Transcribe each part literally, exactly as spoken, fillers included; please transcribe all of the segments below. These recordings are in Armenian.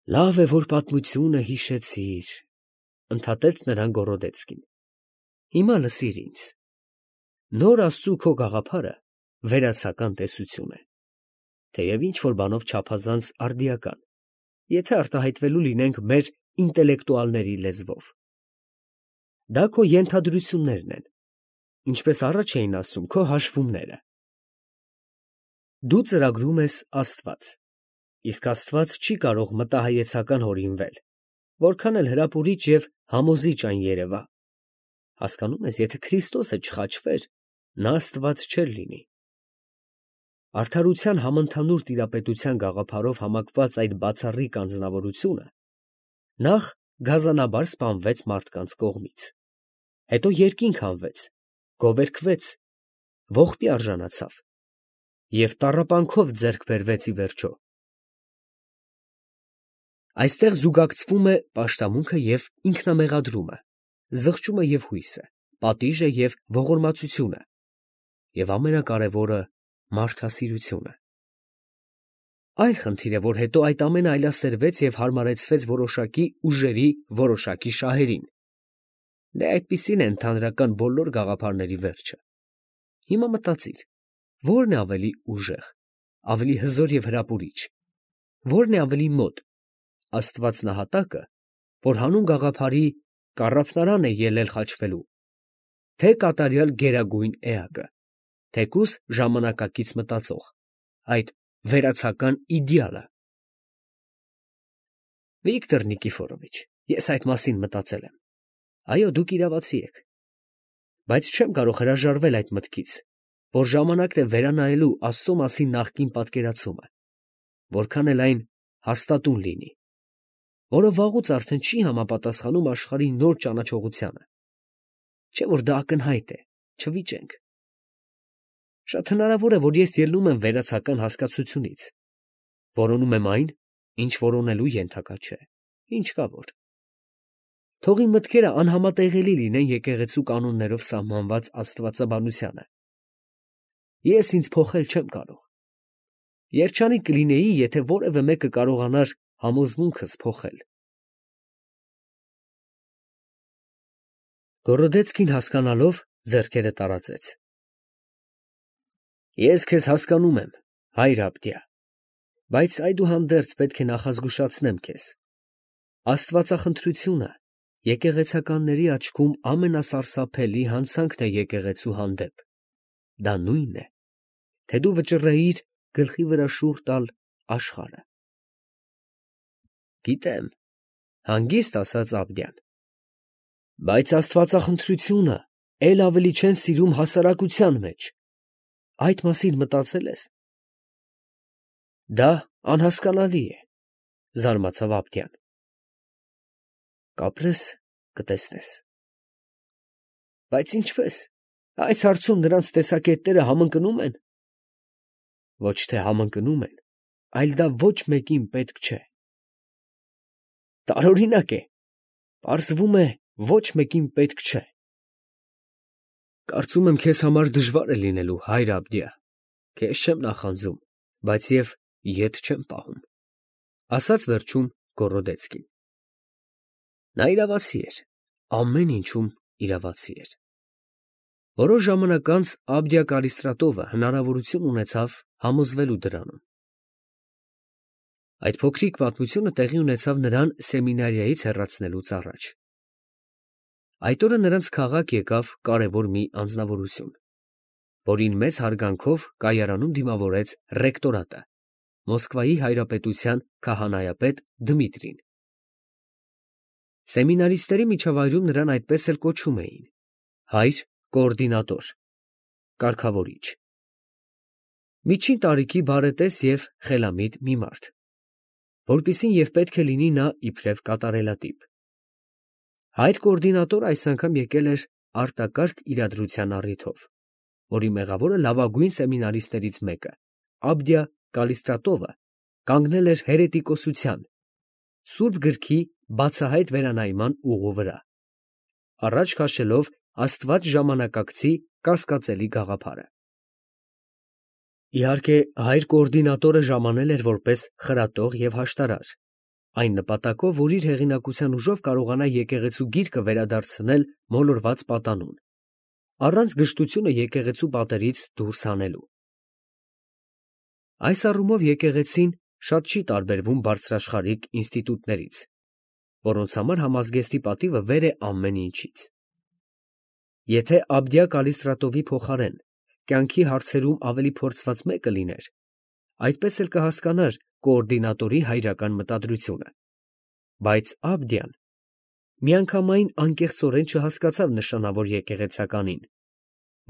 Լավ է, որ պատմությունը հիշեցիր, ընդհատեց նրան Գորոդեցկին։ Հիմա լսիր ինձ. նոր Աստծու քո գաղափարը վերացական տեսություն է, թեև ինչ-որ բանով չափազանց արդիական, եթե արտահայտվելու լինենք մեր ինտելեկտուալների լեզվով։ Դա քո ենթադրություններն են, ինչպես առաջ էին ասում քո հաշվումները։ Դու ծրագրում ես Աստված, իսկ Աստված չի կարող մտահայեցական հորինվել, որքան էլ հրապուրիչ և համոզիչ այն երևա։ Հասկանում ես, եթե Քրիստոսը չխաչվեր, նա Աստված չէր լինի։ Արդարության համընդհանուր տիրապետության գաղափարով համակված այդ բացառիկ անձնավորությունը նախ գազանաբար սպանվեց մարդկանց կողմից, հետո երկինք հանվեց, գովերգվեց, ողբի արժանացավ և տառապանքով ձեռք բերվեց ի վերջո։ Այստեղ զուգակցվում է պաշտամունքը և ինքնամեղադրումը, զղջումը և հույսը, պատիժը և ողորմածությունը և ամենակարևորը մարդասիրությունը։ Այլ խնդիր է, որ հետո այդ ամենը այլասերվեց և հարմարեցվեց որոշակի ուժերի որոշակի շահերին։ Դե այդպիսին է ընդհանրական բոլոր գաղափարների վերջը։ Հիմա մտածիր, ո՞րն է ավելի ուժեղ, ավելի հզոր և հրապուրիչ, ո՞րն է ավելի մոտ, Աստված նահատակը, որ հանուն գաղափարի կառափնարան է ելել խաչվելու, թե կատարյալ գերագույն էակը, թեկուզ ժամանակակից մտածող, այդ վերացական իդեալը։ Վիկտոր Նիկիֆորովիչ, ես այդ մասին մտածել եմ։ Այո, դուք իրավացի եք, բայց չեմ կարող հրաժարվել այդ մտքից, որ ժամանակն է վերանայելու Աստծո մասին նախկին պատկերացումը, որքան էլ այն հաստատուն լինի, որը վաղուց արդեն չի համապատասխանում աշխարհի նոր ճանաչողությանը, չէ՞ որ դա ակնհայտ է, չվիճենք։ Շատ հնարավոր է, որ ես ելնում եմ վերացական հասկացությունից, որոնում եմ այն, ինչ որոնելու ենթակա չէ, ինչ կա որ։ Թող իմ մտքերը անհամատեղելի լինեն եկեղեցու կանոններով սահմանված աստվածաբանությանը։ Ես ինձ փոխել չեմ կարող։ Երջանիկ կլինեի, եթե որևէ մեկը կարողանար համոզմունքս փոխել։ Գորոդեցկին հասկանալով ձեռքերը տարածեց։ Ես քեզ հասկանում եմ, հայր Աբդիա, բայց այդուհանդերձ պետք է նախազգուշացնեմ քեզ. աստվածախնդրությունը եկեղեցականների աչքում ամենասարսափելի հանցանքն է եկեղեցու հանդեպ, դա նույնն է, թե դու վճռեիր գլխի վրա շուռ տալ աշխարհը։ Գիտեմ, հանգիստ ասաց Աբդիան, բայց աստվածախնդրությունը էլ ավելի չեն սիրում հասարակության մեջ, այդ մասին մտածե՞լ ես։ Դա անհասկանալի է, զարմացավ Աբդիան։ Կապրես, կտեսնես։ Բայց ինչպես, այս հարցում նրանց տեսակետները համընկնում են։ Ոչ թե համընկնում են, այլ դա ոչ մեկին պետք չէ։ Տարօրինակ է, պարզվում է, ոչ մեկին պետք չէ։ Կարծում եմ, քեզ համար դժվար է լինելու, հայր Աբդիա, քեզ չեմ նախանձում, բայց և ետ չեմ պահում, ասաց վերջում Գորոդեցկին։ Նա իրավացի էր, ամեն ինչում իրավացի էր։ Որոշ ժամանակ անց Աբդիա Կալիստրատովը հնարավորություն ունեցավ համոզվելու դրանում։ Այդ փոքրիկ պատմությունը տեղի ունեցավ նրան սեմինարիայից հեռացնելուց առաջ։ Այդ օրը նրանց քաղաք եկավ կարևոր մի անձնավորություն, որին մեծ հարգանքով կայարանում դիմավորեց ռեկտորատը, Մոսկվայի հայրապետության քահանայապետ Դմիտրին։ Սեմինարիստների միջավայրում նրան այդպես էլ կոչում էին. հայր կոորդինատոր, կարգավորիչ։ Միջին տարիքի բարետես և խելամիտ մի մարդ, որպիսին և պետք է լինի նա իբրև կատարելատիպ։ Հայր կոորդինատորը այս անգամ եկել էր արտակարգ իրադրության առիթով, որի մեղավորը լավագույն սեմինարիստներից մեկը, Աբդիա Կալիստրատովը, կանգնել էր հերետիկոսության, Սուրբ Գրքի բացահայտ վերանայման ուղու վրա, առաջ քաշելով Աստված ժամանակակցի կասկածելի գաղափարը։ Իհարկե, հայր կոորդինատորը ժամանել էր որպես խրատող և հաշտարար, այն նպատակով, որ իր հեղինակության ուժով կարողանա եկեղեցու գիրկը վերադարձնել մոլորված պատանուն, առանց գժտությունը եկեղեցու պատերից դուրս հանելու։ Այս առումով եկեղեցին շատ չի տարբերվում բարձրաշխարհիկ ինստիտուտներից, որոնց համար համազգեստի պատիվը վեր է ամեն ինչից։ Եթե Աբդիա Կալիստրատովի փոխարեն կյանքի հարցերում ավելի փորձված մեկը լիներ, այդպես էլ կհասկանար կոորդինատորի հայրական մտադրությունը, բայց Աբդիան միանգամայն անկեղծորեն չհասկացավ նշանավոր եկեղեցականին,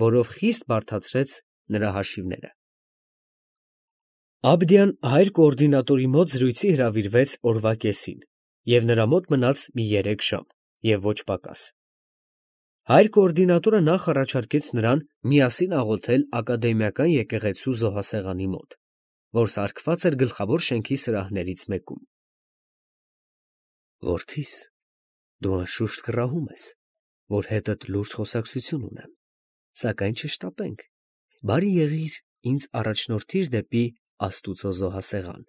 որով խիստ բարդացրեց նրա հաշիվները։ Աբդիան հայր կոորդինատորի մոտ զրույցի հրավիրվեց օրվա կեսին և նրա մոտ մնաց մի երեք ժամ և ոչ պակաս։ Հայր կոորդինատորը նախ առաջարկեց նրան միասին աղոթել ակադեմիական եկեղեցու զոհասեղանի մոտ, որ սարքված էր գլխավոր շենքի սրահներից մեկում։ Որդիս, դու անշուշտ կռահում ես, որ հետդ լուրջ խոսակցություն ունեմ, սակայն չշտապենք, բարի եղիր ինձ առաջնորդիր դեպի Աստուծո զոհասեղան,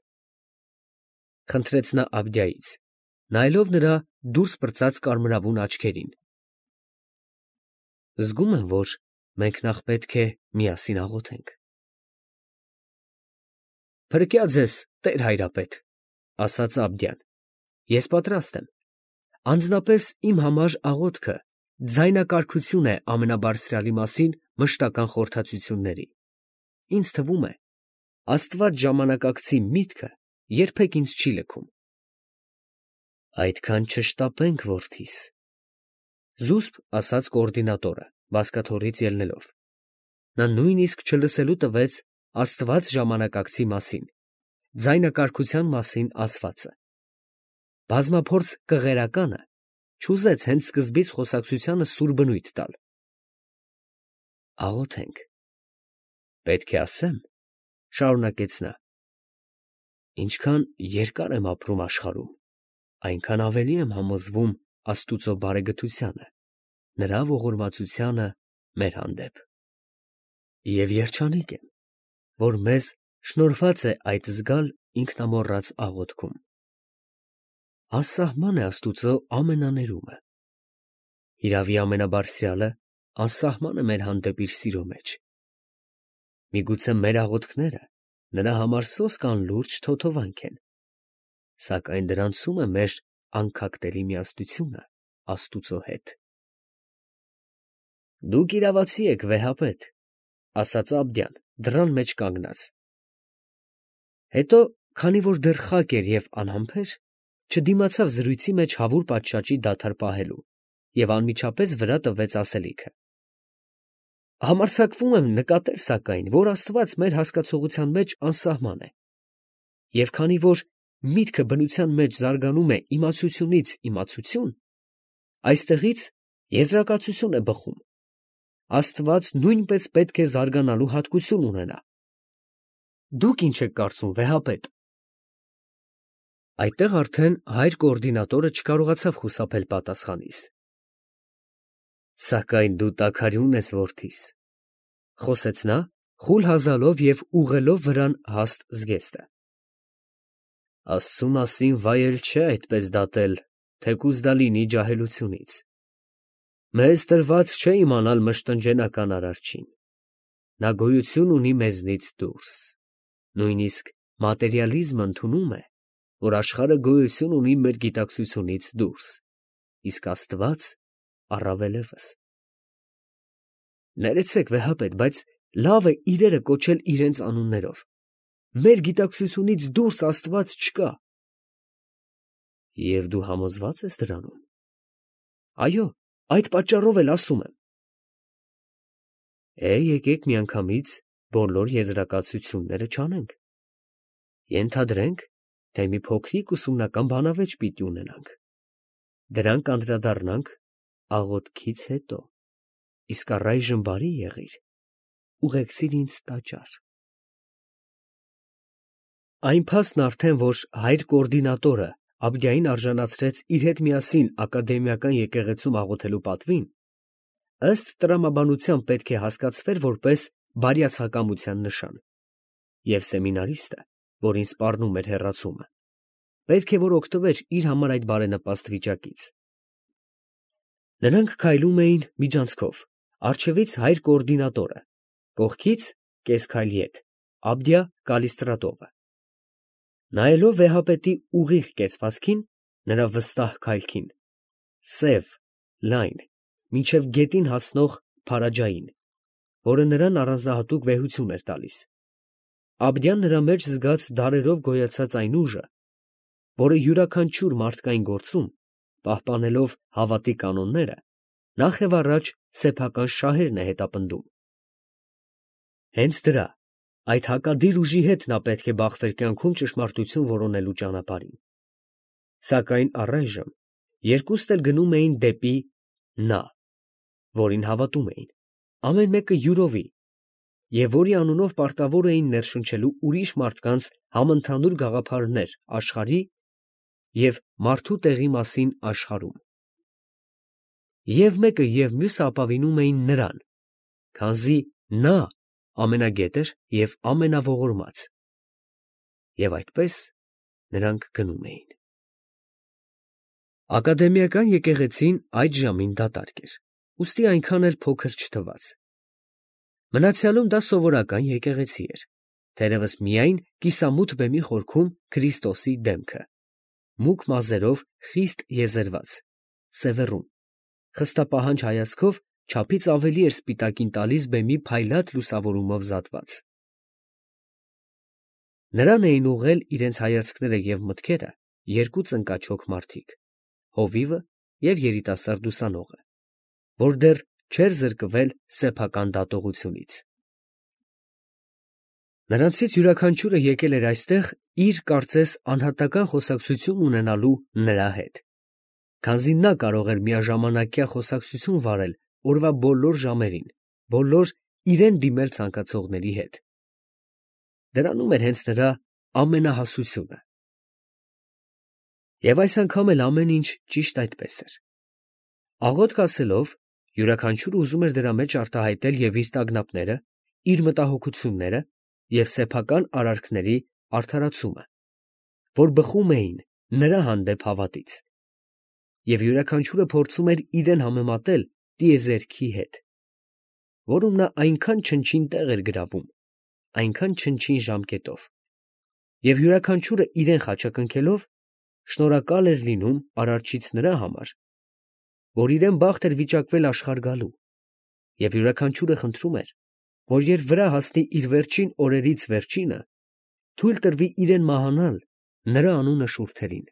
խնդրեց նա Աբդիայից, նայելով նրա դուրս պրծած կարմրավուն աչքերին։ Զգում եմ, որ մենք նախ պետք է միասին աղոթենք։ Փրկյա ձեզ, տեր հայրապետ, ասաց Աբդիան, ես պատրաստ եմ, անձնապես իմ համար աղոթքը ձայնակարգություն է ամենաբարձրյալի մասին մշտական խորհրդածությունների, ինձ թվում է, Աստված ժամանակակցի միտքը երբեք ինձ չի լքում։ Այդքան չշտապենք, որդիս, զուսպ ասաց կոորդինատորը, բազկաթոռից ելնելով, նա նույնիսկ չլսելու տվեց Աստված ժամանակակցի մասին, ձայնակարգության մասին ասվածը։ Բազմափորձ կղերականը չուզեց հենց սկզբից խոսակցությանը սուր բնույթ տալ։ Աղոթենք։ Պետք է ասեմ, շարունակեց նա, ինչքան երկար եմ ապրում աշխարհում, այնքան ավելի եմ համոզվում Աստուծո բարեգթությանը, նրա ողորմածությանը մեր հանդեպ։ Եվ երջանիկ եմ, որ մեզ շնորհված է այդ զգալ ինքնամոռաց աղոթքում։ Անսահման է Աստուծո ամենաներումը։ Հիրավի ամենաբարձրյալը անսահման է մեր հանդեպ իր սիրո մեջ։ Միգուցե մեր աղոթքները նրա համար սոսկ անլուրջ թոթովանք են, սակայն դրանցում է մեր անքակտելի միասնությունը Աստուծո հետ։ Դուք իրավացի եք, վեհապետ, ասաց Աբդիան, դռան մեջ կանգնած։ Հետո, քանի որ դեռ խակ էր և անհամբեր, չդիմացավ զրույցի մեջ հավուր պատշաճի դադար պահելու և անմիջապես վրա տվեց ասելիքը։ Համարձակվում եմ նկատել, սակայն, որ Աստված մեր հասկացողության մեջ անսահման է, և քանի որ միտքը բնության մեջ զարգանում է իմացությունից իմացություն, այստեղից եզրակացություն է բխում. Աստված նույնպես պետք է զարգանալու հատկություն ունենա։ Դուք ինչ եք կարծում, վեհապետ։ Այդտեղ արդեն հայր կոորդինատորը չկարողացավ խուսափել պատասխանից։ Սակայն դու տաքարյուն ես, որդիս, խոսեց նա, խուլ հազալով և ուղղելով վրան հաստ զգեստը։ Աստծու մասին վայել չէ այդպես դատել, թեկուզ դա լինի ջահելությունից։ Մեզ տրված չէ իմանալ մշտնջենական Արարչին։ Նա գոյություն ունի մեզնից դուրս։ Նույնիսկ մատերիալիզմը ընդունում է, որ աշխարհը գոյություն ունի մեր գիտակցությունից դուրս, իսկ Աստված առավելևս։ Ներեցեք, վեհապետ, բայց լավ է իրերը կոչել իրենց անուններով։ Մեր գիտակցությունից դուրս Աստված չկա։ Եվ դու համոզված ես դրանում։ Այո, այդ պատճառով էլ ասում եմ։ Է, եկեք միանգամից բոլոր եզրակացությունները չանենք։ Ենթադրենք, թե մի փոքրիկ ուսումնական բանավեճ պիտի ունենանք։ Դրան կանդրադառնանք աղոթքից հետո։ Իսկ առայժմ բարի եղիր, ուղեկցիր ինձ տաճար։ Այն փաստն արդեն, որ հայր կոորդինատորը Աբդիային արժանացրեց իր հետ միասին ակադեմիական եկեղեցում աղոթելու պատվին, ըստ տրամաբանության պետք է հասկացվեր որպես բարյացակամության նշան, և սեմինարիստը, որին սպառնում էր հեռացումը, պետք է որ օգտվեր իր համար այդ բարենպաստ վիճակից։ Նրանք քայլում էին միջանցքով, առջևից հայր կոորդինատորը, կողքից կես քայլի հետ Աբդյա Կալիստրատովը։ Նայելով վեհապետի ուղիղ կեցվածքին, նրա վստահ քայլքին, սև, լայն, մինչև գետին հասնող փարաջային, որը նրան առանձնահատուկ վեհություն էր տալիս, Աբդյան նրա մեջ զգաց դարերով գոյացած այն ուժը, որը յուրաքանչյուր մարդկային գործում, պահպանելով հավատի կանոնները, նախ և առաջ սեփական շահերն է հետապնդում։ Հենց դրա, այդ հակադիր ուժի հետ նա պետք է բախվեր կյանքում ճշմարտություն որոնելու ճանապարհին։ Սակայն առայժմ երկուստ էլ գնում էին դեպի նա, որին հավատում էին, ամեն մեկը յուրովի, և որի անունով պարտավոր էին ներշնչելու ուրիշ մարդկանց համընդհանուր գաղափարներ աշխարհի և մարդու տեղի մասին աշխարհում։ Եվ մեկը և մյուսը ապավինում էին նրան, քանզի նա ամենագետ էր և ամենաողորմած։ Եվ այդպես նրանք գնում էին։ Ակադեմիական եկեղեցին այդ ժամին դատարկ էր, ուստի այնքան էլ փոքր չթվաց։ Մնացյալում դա սովորական եկեղեցի էր, թերևս միայն կիսամութ բեմի խորքում Քրիստոսի դեմքը, մուգ մազերով խիստ եզերված, սևեռուն, խստապահանջ հայացքով չափից ավելի էր սպիտակին տալիս բեմի փայլատ լուսավորումով զատված։ Նրան էին ուղղել իրենց հայացքները և մտքերը երկու ծնկաչոք մարդիկ, հովիվը և երիտասարդ ուսանողը, որ դեռ չէր զրկվել սեփական դատողությունից։ Նրանցից յուրաքանչյուրը եկել էր այստեղ իր, կարծես, անհատական խոսակցություն ունենալու նրա հետ, քանզի նա կարող էր միաժամանակյա խոսակցություն վարել օրվա բոլոր ժամերին, բոլոր իրան դիմել ցանկացողների հետ։ Դրանում էր հենց նրա ամենահասությունը։ Եվ այս անգամ էլ ամեն ինչ ճիշտ այդպես էր։ Աղոթք ասելով, յուրաքանչյուրը ուզում էր դրա մեջ արտահայտել և իր տագնապները, իր մտահոգությունները և սեփական արարքների արդարացումը, որ բխում էին նրա հանդեպ հավատից, և յուրաքանչյուրը փորձում էր իրան համեմատել տիեզերքի հետ, որում նա այնքան չնչին տեղ էր գրավում, այնքան չնչին ժամկետով, և յուրաքանչյուրը իրան խաչակնքելով, շնորհակալ էր լինում արարչից նրա համար, որ իրան բախտ էր վիճակվել աշխարհ գալու, և յուրաքանչյուրը խնդրում էր, որ երբ վրա հասնի իր վերջին օրերից վերջինը, թույլ տրվի իրան մահանալ նրա անունը շուրթերին։